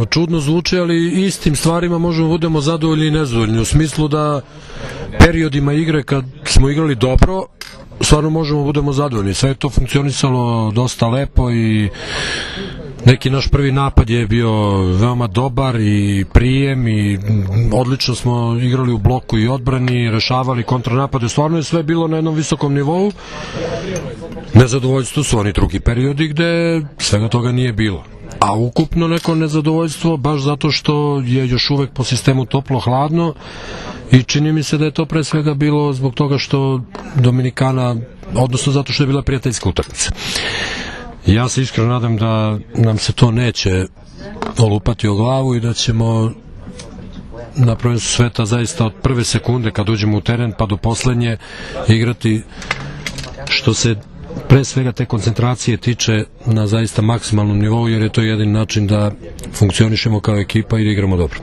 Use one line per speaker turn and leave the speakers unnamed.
Čudno zvuči, ali istim stvarima možemo budemo zadovoljni i nezadovoljni, u smislu da periodima igre kad smo igrali dobro, stvarno možemo budemo zadovoljni. Sve je to funkcionisalo dosta lepo i neki naš prvi napad je bio veoma dobar i prijem i odlično smo igrali u bloku i odbrani, rešavali kontranapade, stvarno je sve bilo na jednom visokom nivou. Nezadovoljstvo su oni drugi periodi gde svega toga nije bilo. A ukupno neko nezadovoljstvo baš zato što je još uvek po sistemu toplo-hladno i čini mi se da je to pre svega bilo zbog toga što Dominikana, odnosno zato što je bila prijateljska utakmica. Ja se iskreno nadam da nam se to neće olupati o glavu i da ćemo na prvenstvu sveta zaista od prve sekunde kad uđemo u teren pa do poslednje igrati što se pre svega te koncentracije tiče na zaista maksimalnom nivou, jer je to jedini način da funkcionišemo kao ekipa i da igramo dobro.